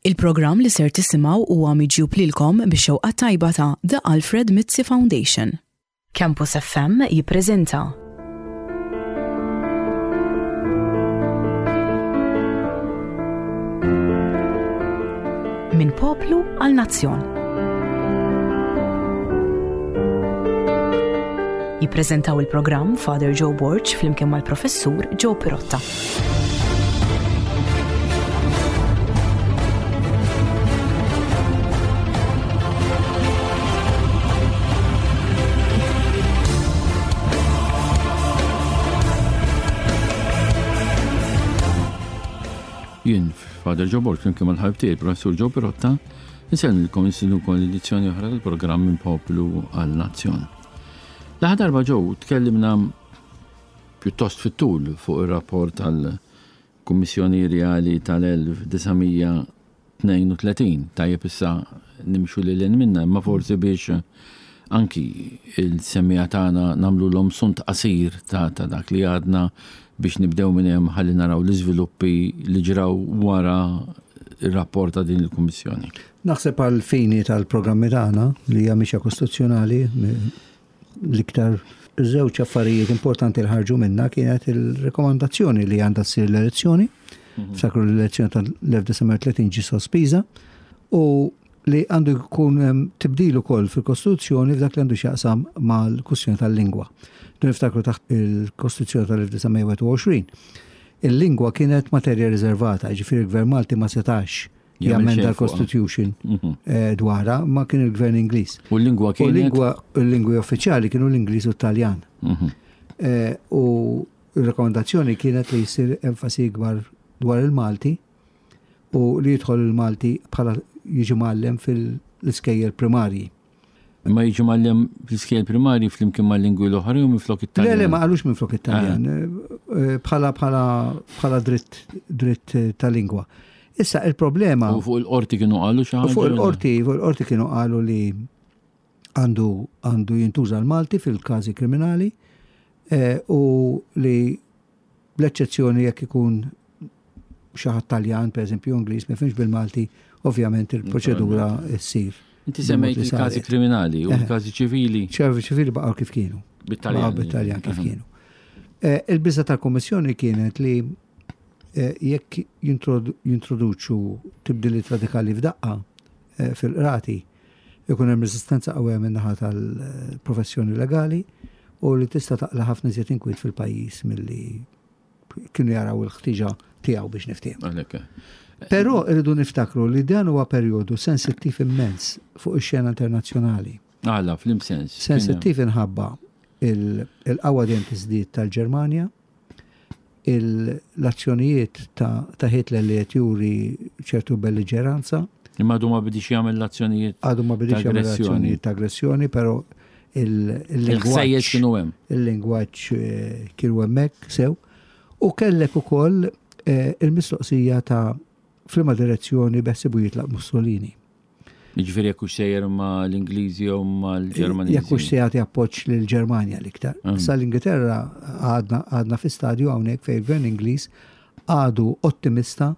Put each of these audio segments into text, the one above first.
Il-programm li ser tisimgħu huwa miġjub lilkom bix-xewqa tajba ta' The Alfred Mizzi Foundation. Campus FM jippreżenta. Minn poplu għal nazzjon. Jippreżentaw il-programm Father Joe Borg flimkien mal-Professur Joe Pirotta. Jien, Father Joe Borg, flimkien mal-ħabib tiegħi, Professur Joe Pirotta, insellmilkom insinukom l-edizzjoni oħra tal-programm minn Poplu għal Nazzjon. L-aħħar darba Joe tkellimna pjuttost fit-tul fuq ir-rapport tal-Kummissjoni Rjali tal-1932. Tajjeb issa nimxu lil hinn minnha, imma forsi biex anki il-semmiegħa tagħna nagħmlulhom sunt qasir ta' dak li għadna biex nibdew minn hemm ħalli naraw l-iżviluppi li ġraw wara r-rapport ta' din il-Kummissjoni. Naħseb għall-fini tal-programmi tagħna li hija mixja kostituzzjonali L-iktar żewġ affarijiet importanti li ħarġu minna kienet il-rekomandazzjoni li għandha ssir l-elezzjoni, mhm. ftakru l-elezzjoni tal-1930 ġi sospiża, u li għandu jkun tibdil ukoll fil-Kostituzzjoni f'dak li għandu x'jaqsam mal-kwistjoni tal-lingwa. Dun niftakru taħt il-Kostituzzjoni tal-1921. Il-lingwa kienet materja riservata, ġifieri il-Gvern Malti ma setax jammenda l-Constitution mhm. eh, dwarha, ma kien il-gvern Ingliż. U l-lingwa kien? U l-lingwa l-lingwi uffiċjali kienu l-Ingliż u t-Taljan. Mhm. Eh, u r-rekomendazzjoni kienet li jsir enfasi ikbar dwar il-Malti u li jidħol il-Malti bħala jiġi mgħallem fil-iskejjel primarji. Imma jiġi mgħallem fl-iskejjel primarji flimkien mal-lingwi l-oħra jew minflok it-Taljan? Le, le, ma qalux minflok it-Taljan. Ah. Eh, bħala bħala bħala dritt dritt ta' lingwa. Issa il-problema. U fuq il-qorti kienu qalu xi ħaġa? Fuq il-qorti, fuq il-qorti kienu qalu li għandu għandu jintuża l-Malti fil-każi kriminali eh, u li bl-eċċezzjoni jekk ikun xi ħadd Taljan, pereżempju Ingliż, ma jifhimx bil-Malti, ovvjament il-proċedura ssir. Inti semmejt il-każi kriminali u l-każi ċivili. ċivili baqgħu kif kienu. Bit-Taljan. Bit-Taljan kif kienu. Eh, il-biża tal-Kummissjoni kienet li eh, jekk jintroduċu tibdiliet radikali f'daqqa eh, fil-qrati, ikun hemm resistenza qawwija min-naħa tal-professjoni legali u li tista' taqla' ħafna iżjed inkwiet fil-pajjiż milli kienu jaraw il-ħtiġa tiegħu biex niftehmu. Però irridu niftakru li dan huwa perjodu sensittiv immens fuq ix-xena internazzjonali. Għala, fl sens. Sensittiv inħabba il-qawwa dejjem tiżdied tal-Ġermanja, l-azzjonijiet ta' Hitler li qed juri ċertu belliġeranza. Imma għadu ma bidix jagħmel l-azzjonijiet. Għadu ma bidix jagħmel l-azzjonijiet ta' aggressjoni, però il-lingwaġġ kienu hemm. Il-lingwaġġ eh, kienu hemmhekk sew. U kellek ukoll eh, il-mistoqsija ta' flima direzzjoni beħsibu jitlaq Mussolini. Jiġifieri jekk hux sejjer ma' l-Ingliżi jew mal-Ġermaniżi. Jekk hux se jagħti appoġġ lill-Ġermanja l-iktar. Mm. Sa l-Ingilterra għadna għadna fi stadju hawnhekk fejn il-Gvern Ingliż għadu ottimista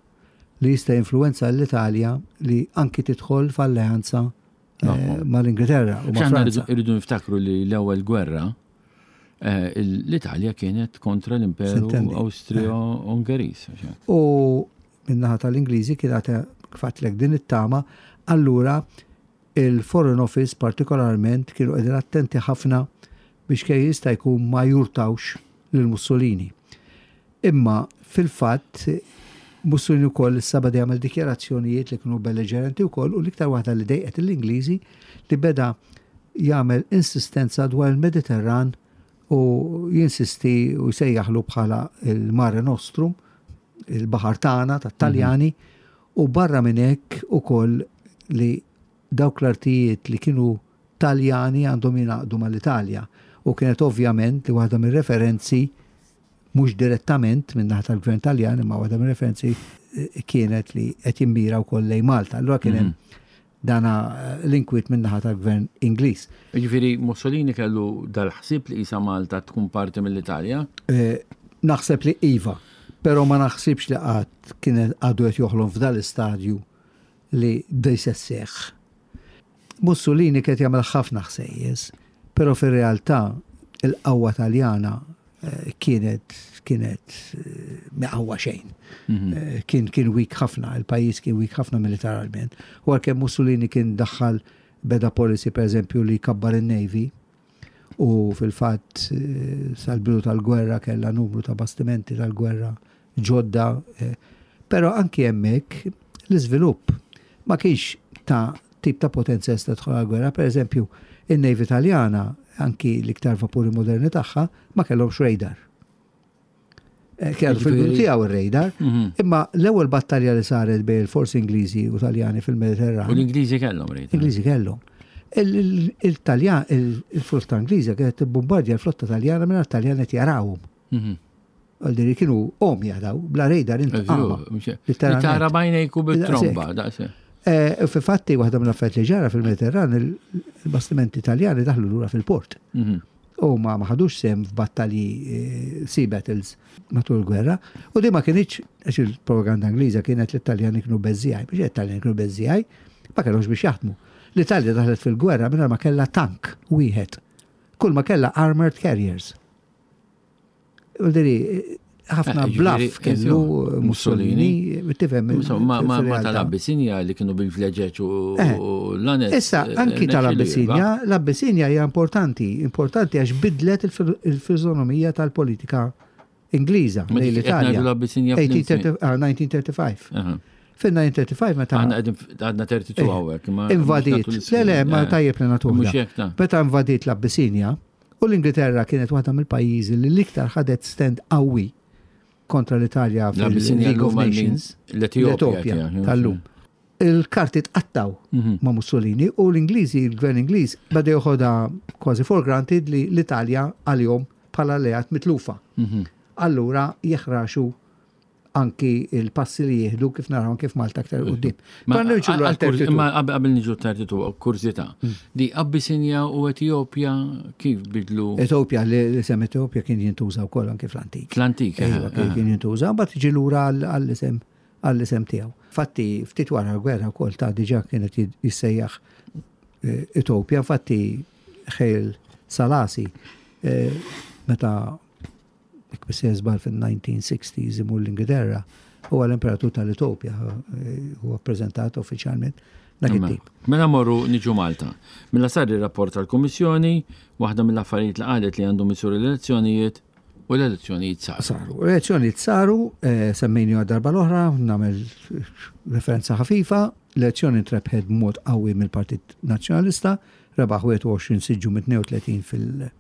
li jista' jinfluwenza l-Italja li anki tidħol f'alleanza eh, mal-Ingilterra u ma' Franza. Irridu niftakru li l-ewwel gwerra eh, l-Italja kienet kontra l-Imperu Austro-Ungeriż. U min-naħa tal-Ingliżi kien għad kif din it-tama, allura il-Foreign Office partikolarment kienu qegħdin attenti ħafna biex kemm jista' jkun ma jurtawx lil Mussolini. Imma fil-fatt Mussolini wkoll issa beda jagħmel dikjarazzjonijiet li kienu belliġerenti wkoll u l-iktar waħda li dejqet l-Ingliżi li beda jagħmel insistenza dwar il-Mediterran u jinsisti u jsejjaħlu bħala il-Mare Nostrum, il-baħar tagħna tat-Taljani mhm. u barra minn hekk ukoll li dawk l-artijiet li kienu Taljani għandhom jingħaqdu mal-Italja u kienet ovvjament li waħda mir-referenzi mhux direttament minn naħa tal-Gvern Taljan imma waħda mir-referenzi eh, kienet li qed jimmira wkoll lejn Malta. Allura kien hemm mhm. dana eh, l-inkwiet minn naħa tal-gvern Ingliż. Jiġifieri Mussolini kellu dal-ħsieb li qisha Malta tkun parti mill-Italja? Eh, naħseb li iva, però ma naħsibx li qatt kien għadu qed joħlom f'dal-istadju. li di se sseħħ. Mussolini kien jagħmel ħafna ħsejjes, però fir-realtà il-qawwa Taljana eh, kienet kienet eh, miqawwa xejn. Mhm. Eh, kien kien weak ħafna, il-pajjiż kien weak ħafna militarment. U għalkemm Mussolini kien daħħal beda policy per eżempju li kabbar in-Navy, u fil-fatt sal-bidu tal-gwerra kellha numru ta' bastimenti tal-gwerra ġodda, però anki hemmhekk l-iżvilupp ma kienx ta' tip ta' potenza jista' tidħol għall-gwerra. Per eżempju, in-Navy Taljana, anki l-iktar vapuri moderni tagħha, ma kellhomx radar. Eh, Kellu fil-bidu tiegħu ir-radar, mhm. imma l-ewwel battalja li saret bejn il-forzi Ingliżi u Taljani fil-Mediterran. U l-Ingliżi kellhom radar. Ingliżi kellhom. Il-Taljan, il-flotta Ingliża kienet tibbombardja l-flotta Taljana minn Taljan qed jarawhom. Mhm. Għal kienu omja daw, bla radar int. Tara bajnejku bit-tromba, daqse. Eh, fi fatti, waħda mill-affarijiet li ġara fil-Mediterran, il-bastimenti Taljani daħlu lura fil-port. Mhm. U ma ħadux sehem f'battalji eh, sea battles matul il-gwerra. U di ma kienx, għax il-propaganda Ingliża kienet li t-Taljani kienu beżżijaj, biex it-Taljani kienu beżżijaj, ma kellhomx biex jaħdmu. L-Italja daħlet fil-gwerra mingħajr ma kellha tank wieħed. Kull ma kellha armored carriers. Diri, ħafna eh, bluff kellu Mussolini, tifhem. Ma tal-Abbisinja li kienu bil-vleġeġ u eh, l-anet. Issa, eh, anki tal-Abbisinja, l-Abbisinja hija importanti, importanti għax bidlet il-fiżonomija tal-politika Ingliża lejn l-Italja. 1935. Ah, Fil-1935 meta. Għadna 32 għawek. Invadiet. Le, le, ma tajjeb li nagħtuha. Meta invadiet l-Abbisinja, U l-Ingilterra kienet waħda mill-pajjiżi li l-iktar ħadet stand qawwi kontra l-Italja fil-League of Nations. L-Etjopja tal-lum. Il-karti tqattaw mhm. ma' Mussolini u l-Ingliżi, il-gvern Ingliż, beda joħodha kważi for granted li l-Italja għalihom bħala alleat mitlufa. Mhm. Allura jeħraxu anki il-passi li jieħdu kif naraw anki f'Malta aktar qudiem. Ma qabel niġu tartitu kurzita. Mm. Di Abyssinia u Etjopja kif bidlu? Etjopja li l-isem Etjopja kien jintuża wkoll anki fl-antik. Fl-antik. Eh, iva, eh. kien jintuża, mbagħad tiġi lura għall-isem għall-isem tiegħu. Fatti ftit wara l-gwerra wkoll ta' diġà kienet jissejjaħ eh, Etjopja, infatti Ħejl Salasi meta jekk mhux sejjer żball fil-1960s imur l-Ingilterra, huwa l-imperatur tal-Etopja, eh, huwa ppreżentat uffiċjalment dak it-tip. Mela morru niġu Malta. Mela sar ir-rapport tal-Kummissjoni, waħda mill-affarijiet li qalet li għandhom isiru l-elezzjonijiet u l-elezzjonijiet saru. Saru. L-elezzjonijiet saru, eh, semmejni darba l-oħra, nagħmel referenza ħafifa, l-elezzjoni ntrebħet b'mod qawwi mill-Partit Nazzjonalista, rebaħ 21 siġġu minn 32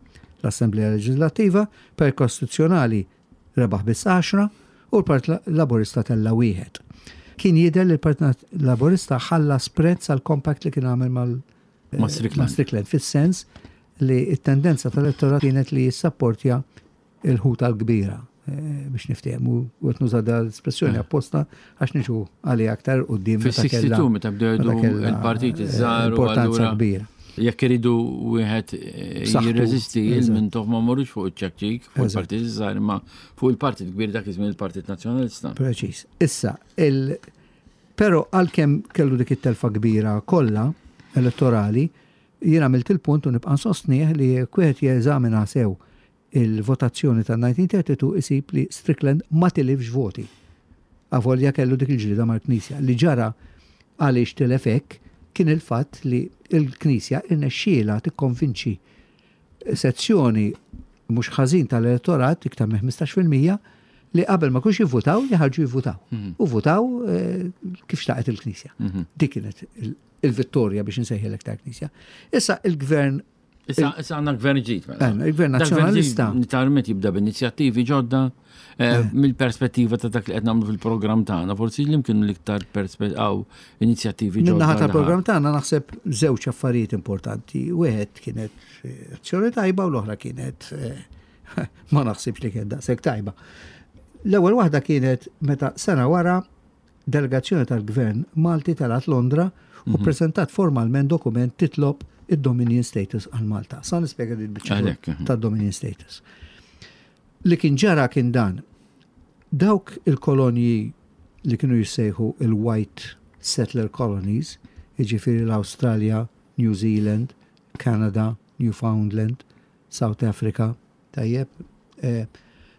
fil-Assemblea Leġislattiva, per Kostituzzjonali rebaħ biss għaxra u l-Partit Laburista tella' wieħed. Kien jidher li l-Partit Laburista ħallas prezz għall-compact li kien għamel mal Ma' Strickland. Strickland, fis-sens li t-tendenza tal-elettorat kienet li jissapportja il-ħuta l-kbira eh, biex niftehmu u qed nuża da l-espressjoni eh. apposta għax niġu għalija aktar quddiem. Fis-62 meta bdew il-partit eh, iż-żgħar importanza kbira. Jekk iridu wieħed jirreżisti il-mintof ma morrux fuq iċ-ċekċik, fuq il-partit iż-żgħar, imma fuq il-partit kbir dak iż-żmien il-Partit Nazzjonalista. Preċiż. Issa, il Però għalkemm kellu dik it-telfa kbira kollha elettorali, jien għamilt il-punt u nibqa' nsostnih li jekk wieħed jeżamina sew Il-votazzjoni tan-1932 isib li Strickland ma tilifx voti. Avolja kellu dik il-ġlieda mal-Knisja. Li ġara għaliex tilef hekk kien il-fatt li l-Knisja irnexxielha tikkonvinċi sezzjoni mhux ħażin tal-elettorat, iktar minn 15%, li qabel ma kienx jivvutaw, li ħarġu jivvutaw. Mhm. U votaw eh, kif xtaqet il-Knisja. Mhm. Dik kienet il-vittorja biex insejħilek tal-Knisja. Issa il-gvern Issa għandna gvern ġdid. Mela. Eh, il-gvern nazzjonalista. Nitarmet jibda b'inizjattivi ġodda eh, eh. mill-perspettiva ta' dak li qed nagħmlu fil-programm tagħna, forsi li mkienu l-iktar perspettiv inizjattivi ġodda. Min-naħa tal-programm tagħna naħseb żewġ affarijiet importanti. Wieħed kienet azzjoni tajba u l-oħra kienet ma naħsibx li kienet daqshekk tajba. L-ewwel waħda kienet meta sena wara Delegazzjoni tal-Gvern Malti telgħet Londra u mhm. ppreżentat formalment dokument titlob id-Dominion Status għal Malta. Sa nispjega din biċċa mhm. tad-Dominion Status. Li kien ġara kien dan. Dawk il-kolonji li kienu jissejħu il-White settler colonies, jiġifieri l-Awstralja, New Zealand, Canada, Newfoundland, South Africa, tajjeb, eh,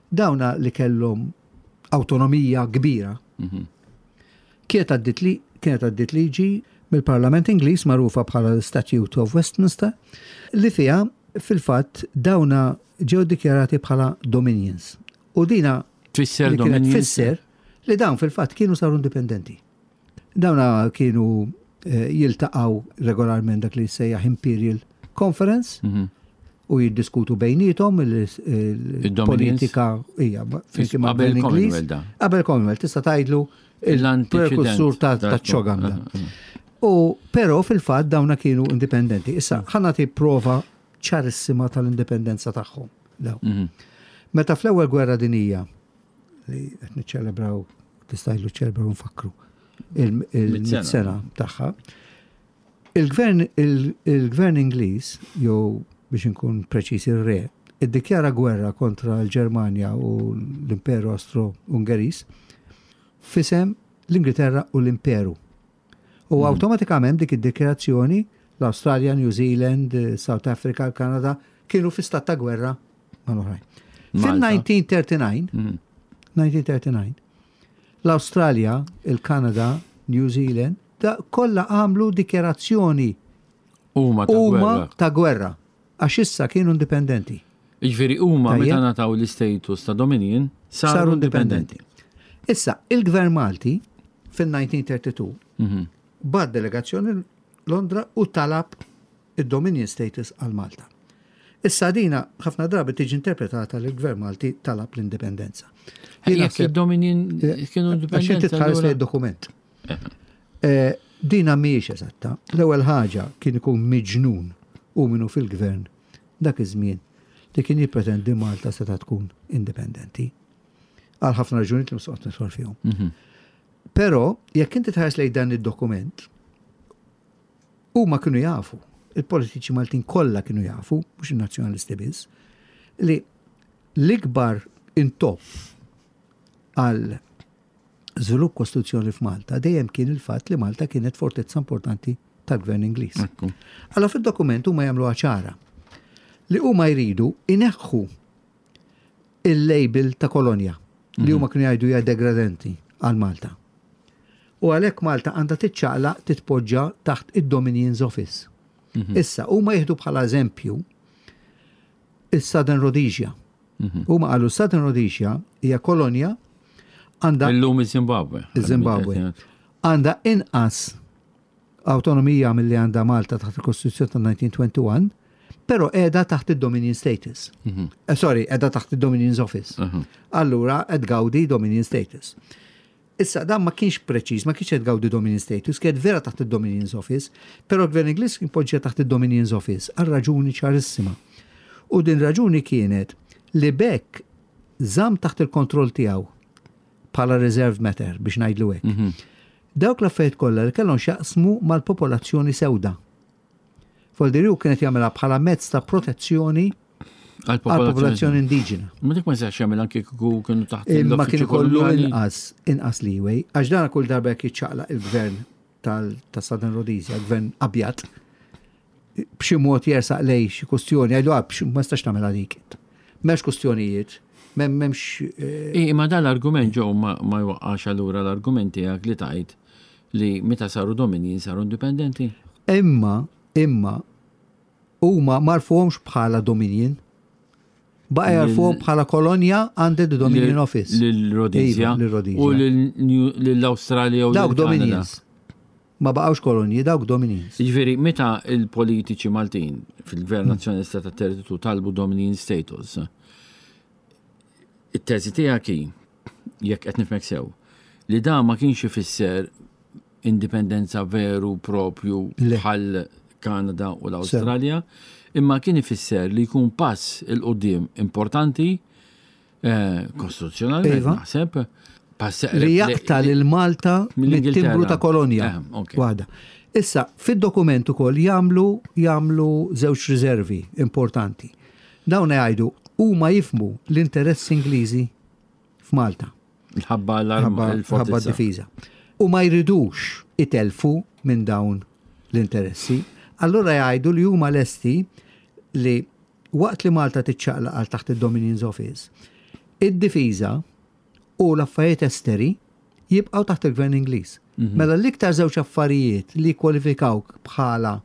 dawna li kellhom awtonomija kbira. Mhm. Kienet għaddit li kienet għaddit liġi mill-Parlament Ingliż magħrufa bħala l-Statute of Westminster li fiha fil-fatt dawna ġew dikjarati bħala dominions. U dina tfisser dominions. Tfisser li dawn fil-fatt kienu saru indipendenti. Dawna kienu eh, jiltaqgħu regolarment dak li jsejjaħ Imperial Conference mhm. u jiddiskutu bejnietom il-politika hija qabel Commonwealth. Qabel Commonwealth tista' tgħidlu il-prekursur ta' ċogam. Eh, eh. U però fil-fatt dawna kienu indipendenti. Issa ħa nagħti prova ċarissima tal-indipendenza tagħhom. Mhm. Meta fl-ewwel gwerra dinija li qed niċċelebraw tista' ċelebraw nfakru il-sena tagħha. Il-gvern il-gvern Ingliż jew biex inkun preċiż ir-re iddikjara gwerra kontra l-Ġermanja u l-Imperu Austro-Ungeriż f'isem l-Ingilterra u l-Imperu. U mhm. awtomatikament dik id-dikjarazzjoni l-Awstralja, New Zealand, South Africa, Kanada kienu fi stat ta' gwerra mal-oħrajn. Fil-1939, 1939, l-Awstralja, il-Kanada, New Zealand, da kollha għamlu dikjarazzjoni huma ta' gwerra. ta' gwerra għax issa kienu indipendenti. Jiġifieri huma meta ngħataw l-istatus ta' Dominion saru indipendenti. Issa, il-Gvern Malti fil-1932 mhm. bagħat delegazzjoni Londra u talab id-Dominion status għal Malta. Issa dina ħafna drabi tiġi interpretata li l-Gvern Malti talab l-indipendenza. Jekk id-Dominion eh, kienu indipendenti. Għax inti tħares lejn dokument. Eh. Eh, dina mhijiex eżatta. L-ewwel ħaġa kien ikun miġnun u minnu fil-gvern dak iż-żmien li kien jippretendi Malta seta' tkun indipendenti. Għal ħafna raġunijiet li msoqgħod nidħol fihom. Mhm. Però jekk inti tħares lejn dan id-dokument, Huma kienu jafu, il-politiċi Maltin kollha kienu jafu, mhux in-Nazzjonalisti biss, li l-ikbar intopp għal żvilupp kostituzzjoni f'Malta dejjem kien il-fatt li Malta kienet fortezza importanti tal-Gvern Ingliż. Allora fid-dokument huma jagħmluha ċara li huma jridu ineħħu il-label ta' kolonja li huma kienu jgħidu hija degradenti għal Malta. U għalhekk Malta għandha tiċċaqlaq titpoġġa taħt id-Dominion's Office. Mhm. Issa, huma jieħdu bħala eżempju is-Southern Rhodesia. Mhm. Huma qalu Southern Rhodesia hija kolonja għandha Illum iż-Zimbabwe. Iż-Zimbabwe. Għandha inqas awtonomija milli għandha Malta taħt il-Kostituzzjoni ta' 1921, però qiegħda taħt id-Dominion status. Mhm. Eh, sorry, qiegħda taħt id-Dominion's Office. Mhm. Allura qed gawdi Dominion status. Issa dan ma kienx preċiż, ma kienx qed gawdi Dominion status, kienet vera taħt id-Dominion's Office, però l-Gvern Ingliż kien poġġa taħt id-Dominion's Office għal raġuni ċarissima. U din raġuni kienet li bekk żamm taħt il-kontroll tiegħu bħala reserved matter biex ngħidlu hekk. Mhm. Dawk l-affarijiet kollha li kellhom x'jaqsmu mal-popolazzjoni sewda. Foldi hu kienet jagħmilha bħala mezz ta' protezzjoni għall-popolazzjoni indiġena. Ma dik ma jistax jagħmel anke kieku kienu taħt Imma kien ikollu inqas inqas leeway għax dan kull darba jekk jiċċaqlaq il-gvern tal-Southern Rhodesia, gvern abjad, b'xi mod jersaq lej xi kustjoni, għajdu għab, ma stax tagħmel għalik. M'hemmx kustjonijiet, m'hemmx. Eh, imma dan l-argument ġew ma jwaqqax allura l-argument tiegħek li tajt li meta saru domini saru indipendenti. Imma, imma, huma marfuhomx bħala dominion. Baqa jarfuhom bħala kolonja under the Dominion Office. Lil-Rhodesia. Iva, u lill-Awstralja u Dawk Dominions. Ma baqgħux kolonji, dawk Dominions. Jiġifieri meta il-politiċi Maltin fil-Gvern Nazzjonalista ta' Territu talbu Dominion status, it-teżi tiegħek hi, jekk qed nifhmek sew, li dan ma kienx ifisser indipendenza veru propju bħal Kanada u l-Awstralja, imma kien ifisser li jkun pass il-qudiem importanti eh, kostituzzjonalment iva. naħseb. Li jaqta lil Malta mit-timbru ta' kolonja. Eh, Waħda. Issa, fid-dokument ukoll jagħmlu jagħmlu żewġ riservi importanti. Dawn jgħidu huma jifmu l-interessi Ingliżi f'Malta. Ħabba l-fortizza. difiża. U ma jridux. itelfu minn dawn l-interessi. Allura jgħidu li huma lesti li waqt li Malta tiċċaqlaq għal taħt id-Dominion's Office, id-difiża u l-affarijiet esteri jibqgħu taħt il-Gvern Ingliż. Mela l-iktar żewġ affarijiet li jkwalifikawk bħala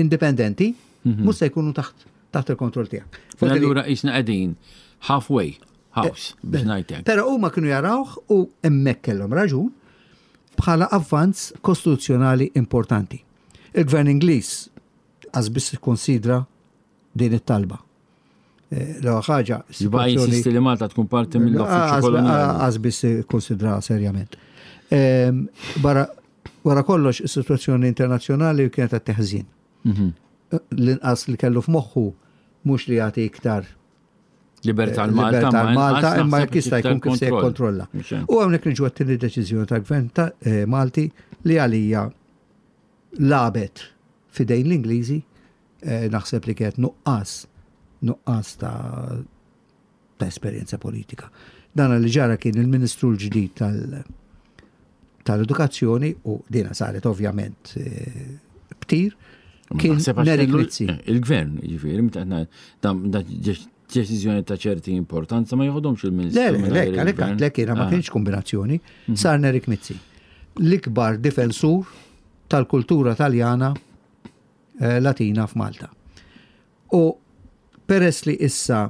indipendenti mhux se jkunu taħt taħt il-kontroll tiegħek. Mela allura qisna qegħdin halfway house biex ngħidlek. Però huma kienu jarawh u hemmhekk kellhom raġun bħala avvanz kostituzzjonali importanti. Il-Gvern Ingliż qas biss ikkonsidra din it-talba. Eh, l-ewwel ħaġa. Jibqa' jinsisti li Malta tkun parti mill-uffiċċju koloniali. Qas biss ikkonsidra serjament. Ehm, barra wara kollox is-sitwazzjoni internazzjonali kienet qed teħżin. Mhm. L-inqas li kellu f'moħħu mhux li jagħti iktar Libertà l-Malta, Malta, imma jekk jista' jkun kif se jikkontrolla. U hawnhekk niġu għat-tieni deċiżjoni tal-Gvern ta' eh, Malti li għalija lagħbet f'idejn l-Ingliżi, eh, naħseb li kienet nuqqas nuqqas ta' ta' esperjenza politika. Dan li ġara kien il-Ministru l-ġdid tal- tal-edukazzjoni u dina saret ovvjament eh, btir kien Nerik Mizzi. Eh, il-gvern, ġifieri, meta da deċiżjoni ta' ċerti importanza ma joħodhomx il-Ministru. Le, le, le, għalhekk għedtlek jiena ma ah. kienx kombinazzjoni, mhm. sar Nerik Mizzi. L-ikbar difensur tal-kultura taljana eh, Latina f'Malta. U peress li issa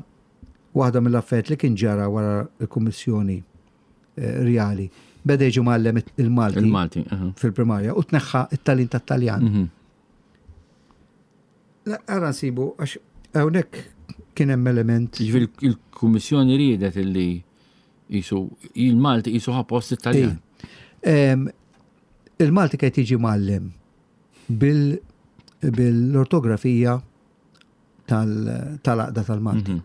waħda mill-affarijiet li kien ġara wara l-Kummissjoni eh, Rjali beda jiġi mgħallem il-Malti Il-Malti, fil-primarja u tneħħa it-talin tat-Taljan. Mhm. Ara nsibu, għax hawnhekk kien hemm element. Jiġifieri il-Kummissjoni riedet illi jisu il-Malti jisu ħa post it-Taljan. Il-Malti kien jiġi mgħallem bil-ortografija tal-għaqda tal-Malti. Mhm.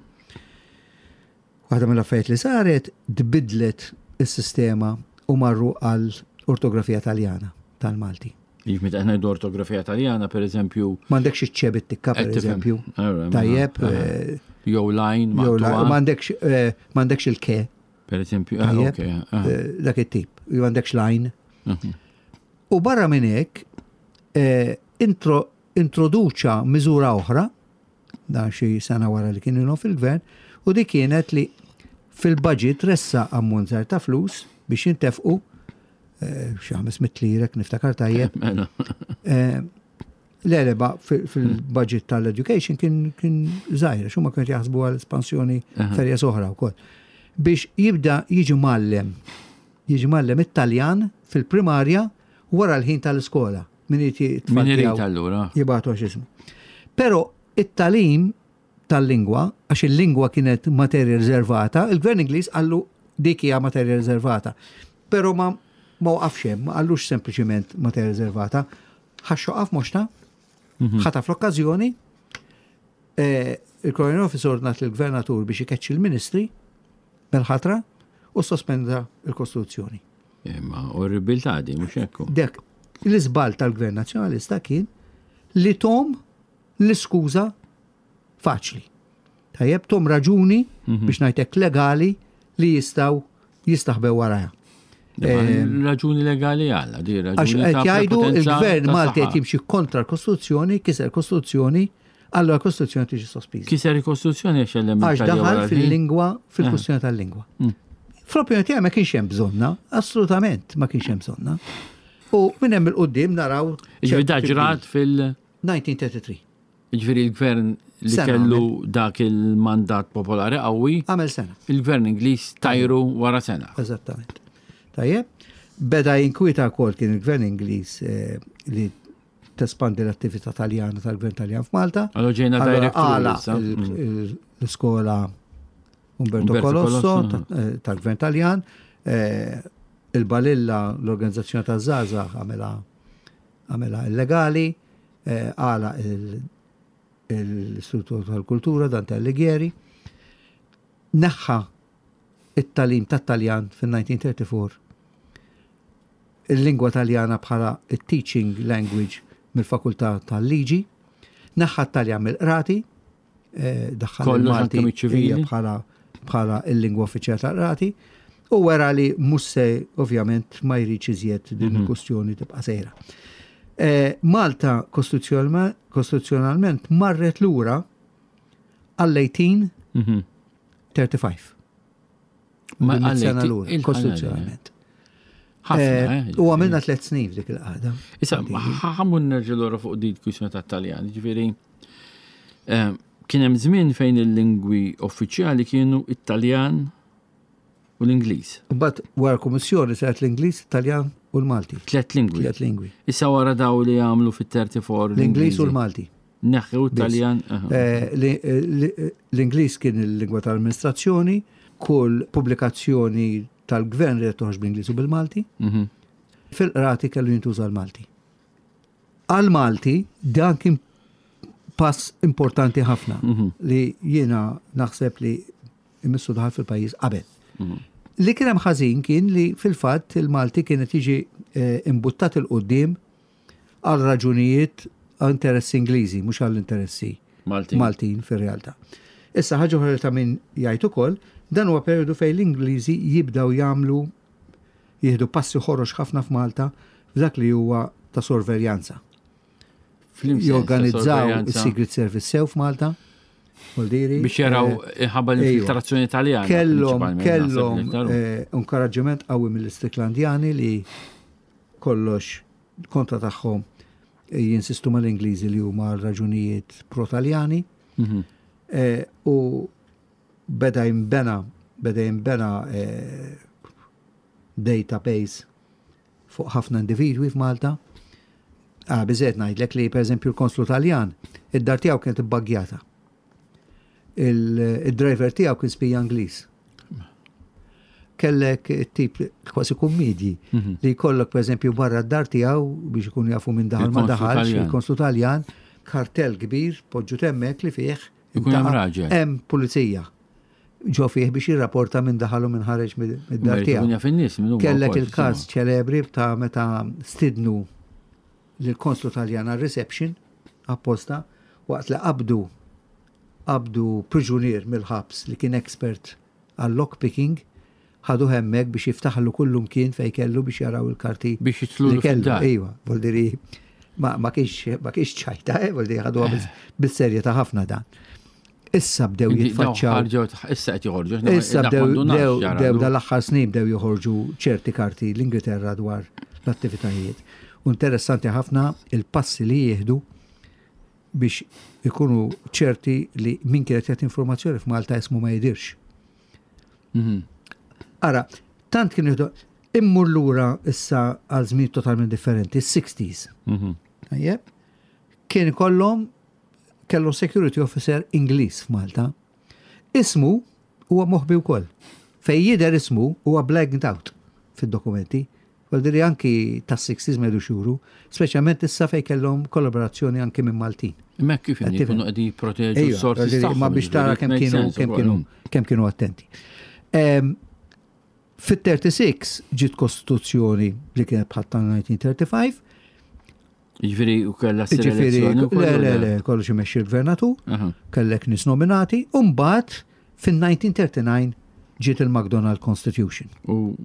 Waħda mill-affarijiet li saret tbiddlet is-sistema u marru għal ortografija Taljana tal-Malti. Jif meta ngħidu ortografija Taljana, per eżempju. M'għandekx iċ-ċe bit-tikka, per eżempju. Tajjeb. Eh, jew lajn, m'għandekx eh, m'għandekx il-ke. Per eżempju, ah, ah. Eh, dak it-tip. Jew għandekx lajn. Mhm. U barra minn hekk, introduċa miżura oħra dan xi sena wara li kien ilhom fil-gvern, u dik kienet li fil-budget ressaq ammont żgħir ta' flus biex jintefqu eh, xi 500 lira niftakar tajjeb. Mela. Eh, le, le, ba, fil-budget tal-education kien kien żgħir, għax huma kienu jaħsbu għal espansjoni ferja oħra wkoll. Biex jibda jiġi mgħallem, jiġi mgħallem it-Taljan fil-primarja wara l-ħin tal-iskola. Min irid Min irid allura. Jibgħatu għax ismu. Però it-tagħlim tal-lingwa, għax il-lingwa kienet materja riservata, il-Gvern Ingliż qallu dik hija materja riservata. Però ma ma waqafx hemm, ma qallux sempliċiment materja riservata, ħax xoqaf moxta, mhm. ħataf l-okkażjoni, eh, il-Colonial Office ordnat lill-gvernatur biex ikeċċi l-ministri mill-ħatra u sospenda l-Kostituzzjoni. Imma orribiltà di, mhux hekk. Dek, l-iżball tal-Gvern Nazzjonalista kien li tom l-iskuża faċli. Tajjeb, tom raġuni mhm. biex ngħidlek legali li jistgħu jistaħbew warajha. Eh, raġuni legali għalla, di raġuni. Għax qed jgħidu il-gvern Malti qed jimxi kontra l-Kostituzzjoni, kiser Kostituzzjoni, allura l-Kostituzzjoni tiġi sospiża. Kiser il-Kostituzzjoni għax element. Għax daħal fil-lingwa, fil-kwistjoni tal-lingwa. Mm. Fl-opinjoni tiegħi ma kienx hemm bżonna, assolutament ma kienx hemm bżonna. U minn hemm il-qudiem naraw. Ġifieri ġrat fil- 1933. Ġifieri l-gvern li kellu dak il-mandat popolari qawwi. Għamel sena. Il-gvern Ingliż tajru wara sena. Eżattament. Tajjeb, beda jinkwieta wkoll kien il-gvern Ingliż eh, li tespandi l-attività Taljana tal-gvern Taljan f'Malta. Allora ġejna direct. Għala l-iskola Umberto Colosso eh, tal-Gvern Taljan, eh, il-Balilla l-organizzazzjoni ta' Zaza għamela għamela illegali, eh, għala l-Istitut tal-Kultura Dante Alighieri, neħħa it-talim tat-Taljan fil-1934 il-lingwa Taljana bħala teaching language mill-Fakultà tal-Liġi, neħħa t-Taljan mill-qrati, eh, daħħal il-Malti bħala bħala il-lingwa uffiċjali tal-qrati. U wera li mhux se ovvjament ma jridx iżjed din mhm. il-kustjoni tibqa' sejra. Eh, Malta kostituzzjonalment marret lura għall-1835. Mhm. Ma sena lura, kostituzzjonalment. Eh, eh, u għamilna tlet snin f'dik il-qagħda. Issa, ħammun nerġa' lura fuq din kwistjoni tat-Taljan, ġifieri kien hemm żmien fejn il-lingwi uffiċjali kienu it-Taljan u l-Ingliż. Mbagħad wara kummissjoni saret l-Ingliż, Taljan u l-Malti. Tlet lingwi. Tlet lingwi. Issa wara daw li għamlu fit-34. L-Ingliż u l-Malti. Neħħu Taljan. Eh, eh, l-Ingliż kien il-lingwa tal-amministrazzjoni, kull pubblikazzjoni tal-gvern li toħroġ bl-Ingliż u bil-Malti. Mhm. Fil-qrati kellu jintuża l-Malti. Għal-Malti dan kien pass importanti ħafna mhm. li jiena naħseb li imissu daħal fil-pajjiż qabel. Mhm. Li kien hemm ħażin kien li fil-fatt il-Malti kienet jiġi eh, imbuttat il-qudiem għal raġunijiet interessi Ingliżi, mhux għall interessi Maltin, Maltin fir-realtà. Issa ħaġa oħra ta' min jgħid ukoll, dan huwa perjodu fejn l-Ingliżi jibdew jagħmlu jieħdu passi ħorox ħafna f'Malta f'dak li huwa ta' sorveljanza. Jorganizzaw is-Secret Service sew f'Malta. Biex jaraw eh, ħabba l-infiltrazzjoni Taljana. Kellhom kellhom eh, inkoraġġiment qawwi mill-Istriklandjani li kollox kontra tagħhom eh, jinsistu mal-Ingliżi li huma raġunijiet pro-Taljani. Mhm. U beda jimbena beda jimbena database fuq ħafna individwi f'Malta. Ah, biżejjed ngħidlek li pereżempju l-konslu Taljan, id-dar tiegħu kienet ibbaggjata. Il-driver tiegħu kien spija Ingliż. Kellek tip kważi kummedji mhm. li jkollok pereżempju barra d-dar tiegħu biex ikunu jafu minn daħal ma daħalx, il-konslu Taljan, kartell kbir poġġu temmek li fih Ikun hemm raġel. Hemm pulizija ġo fih biex jirrapporta minn daħal u minn ħareġ mid-dar tiegħu. Kellek il-każ ċelebri ta' meta stidnu lill-konslu Taljan għar-reception apposta waqt li qabdu qabdu priġunier mill-ħabs li kien expert għal lockpicking ħaduh hemmhekk biex jiftaħlu kullumkien fejn kellu biex jaraw il-karti. Biex jidħlulu li kellu. Iva, voldiri ma, ma kienx ma kienx ċajta, eh, voldiri ħaduha eh. bis-serjetà ħafna dan. Issa bdew jitfaċċaw. Issa qed joħorġu. Issa bdew bdew dal-aħħar snin bdew joħorġu ċerti karti l-Ingilterra dwar l-attivitajiet. U interessanti ħafna il-passi li jieħdu biex ikunu ċerti li min kienet jagħti informazzjoni f'Malta ismu ma jidirx. Mhm. Ara, tant kien jieħdu immur lura issa għal żmien totalment differenti, 60s. Mhm. Tajjeb? Kien kollhom kellu security officer Ingliż f'Malta. Ismu huwa moħbi wkoll. Fej jidher ismu huwa blanked out fid-dokumenti. Vuol anki tas-60s ma jidux juru, speċjalment issa fejn kellhom kollaborazzjoni anki minn Maltin. Imma kif jkunu qegħdin jipproteġu s-sorsi Ma biex tara kemm kienu kemm kienu kemm kienu attenti. Fit-36 ġiet kostituzzjoni li kienet bħal tal-1935. Ġifieri u kellha Ġifieri, le, le, le, kollox imexxi l-gvernatur, kellek nies nominati, u mbagħad fin-1939 ġiet il-McDonald Constitution. U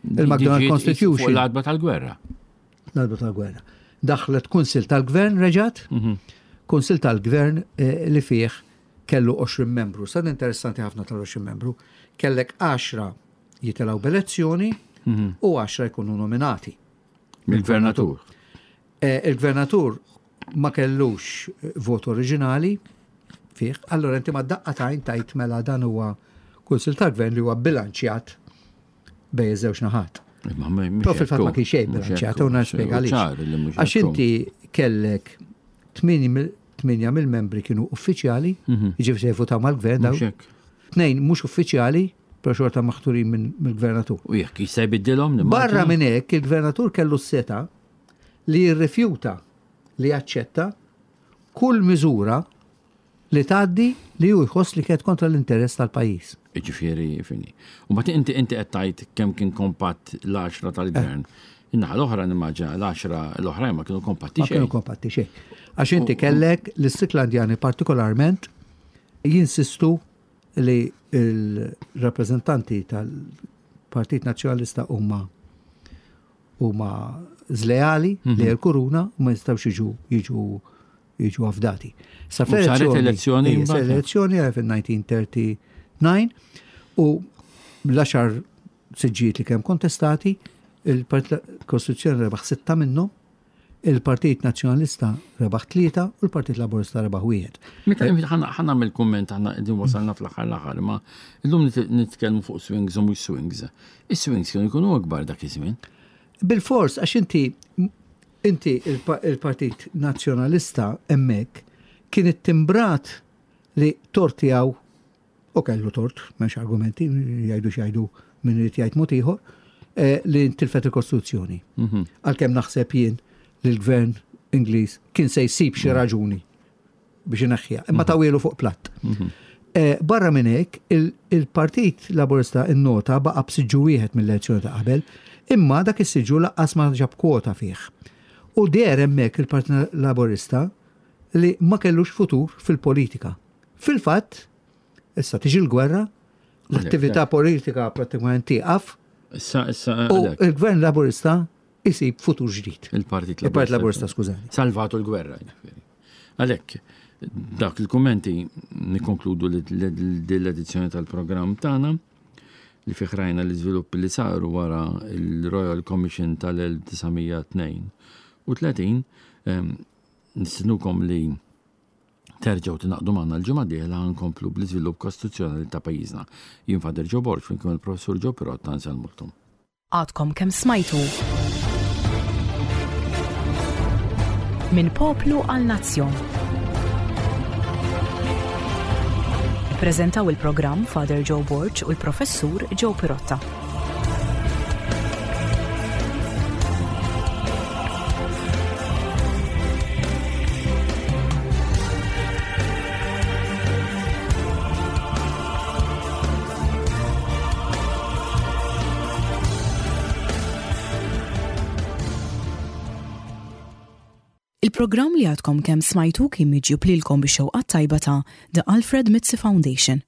il-McDonald Constitution. L-adba tal-gwerra. L-adba tal-gwerra. Daħlet kunsil tal-gvern reġat, mhm. kunsil tal-gvern eh, li fih kellu 20 membru. Sad interessanti ħafna tal-20 membru. Kellek 10 jitilaw b'elezzjoni mhm. u 10 jkunu nominati. Mill-gvernatur. Eh, il-gvernatur ma kellux vot oriġinali fih, allora inti ma daqqa tajn tajt mela dan huwa kunsil tal-gvern li huwa bilanċjat bej iż-żewġ naħat. Però fil-fatt ma kienx xejn bilanċjat, u nispjega għaliex. Għax inti kellek tminja mill-membri kienu uffiċjali, mhm. jiġifieri se jivvutaw mal-gvern daw. Tnejn mhux uffiċjali, però xorta maħturin mill-gvernatur. U jekk jista' jbiddilhom? Barra minn hekk il-gvernatur kellu s-seta li jirrifjuta li jaċċetta kull miżura li tgħaddi li hu jħoss li kienet kontra l-interess tal-pajjiż. Jiġifieri fini. U mbagħad inti inti qed tgħid kemm kien kompatt l-għaxra tal-gvern. Eh. In-naħa l-oħra nimmaġina l-għaxra l-oħrajn ma kienu kompatti xejn. Ma kienu kompatti xejn. Għax inti kellek l-Istriklandjani partikolarment jinsistu li l-rappreżentanti tal- il-Partit Nazzjonalista huma huma żleali mhm. li l-kuruna u ma jistgħux jiġu jiġu jiġu afdati. Sa fl-elezzjoni elezzjoni fil-1939 u l-għaxar siġġijiet li kemm kontestati, il-Partit Kostituzzjoni rebaħ sitta minnhom, il-Partit Nazzjonalista rebaħ tlieta u l-Partit Laburista rebaħ wieħed. Meta ħa nagħmel kumment aħna qegħdin wasalna fl-aħħar l-aħħar, ma illum nitkellmu fuq swings u mhux swings. Is-swings kienu jkunu akbar dak iż-żmien. Bil-fors għax inti inti il-Partit Nazzjonalista hemmhekk kien ittimbrat li tort tiegħu U kellu tort, m'hemmx argumenti, jgħidu x'jgħidu min irid jgħid mod ieħor, eh, li tilfet il-Kostituzzjoni. Mhm. Għalkemm naħseb jien li l-gvern Ingliż kien se jsib xi mhm. raġuni biex ineħħiha, imma mhm. tawielu fuq platt. Eh, barra minn hekk, il-Partit Laburista innota baqa' b'siġġu wieħed mill-elezzjoni ta' qabel, imma dak is-siġġu laqqas ma ġab kwota fih. U deher hemmhekk il-Partit Laburista li ma kellux futur fil-politika. Fil-fatt, issa tiġi l-gwerra, l-attività politika prattikament tieqaf. Issa, issa. U il-gvern laburista jisib futur ġdid. Il-Partit Laburista. Il-Partit Laburista, skużani. Salvatu l-gwerra. Għalhekk, dak il-kummenti nikkonkludu l-edizzjoni tal-programm tagħna li fih rajna l-iżviluppi li saru wara il-Royal Commission tal-1932 nistinukom li Terġgħu tingħaqdu magħna l-ġimgħa d-dieħla ħa nkomplu bl-iżvilupp kostituzzjonali ta' pajjiżna. Jien Father Joe Borg flimkien mal-Professur Joe Pirotta nsellmulkom. Għadkom kemm smajtu Minn Poplu għal Nazzjon. Ippreżentaw il-programm Father Joe Borg u l-Professur Joe Pirotta. Il-programm li għadkom kemm smajtu kien miġjub lilkom bix-xewqat tajba ta' The Alfred Mizzi Foundation.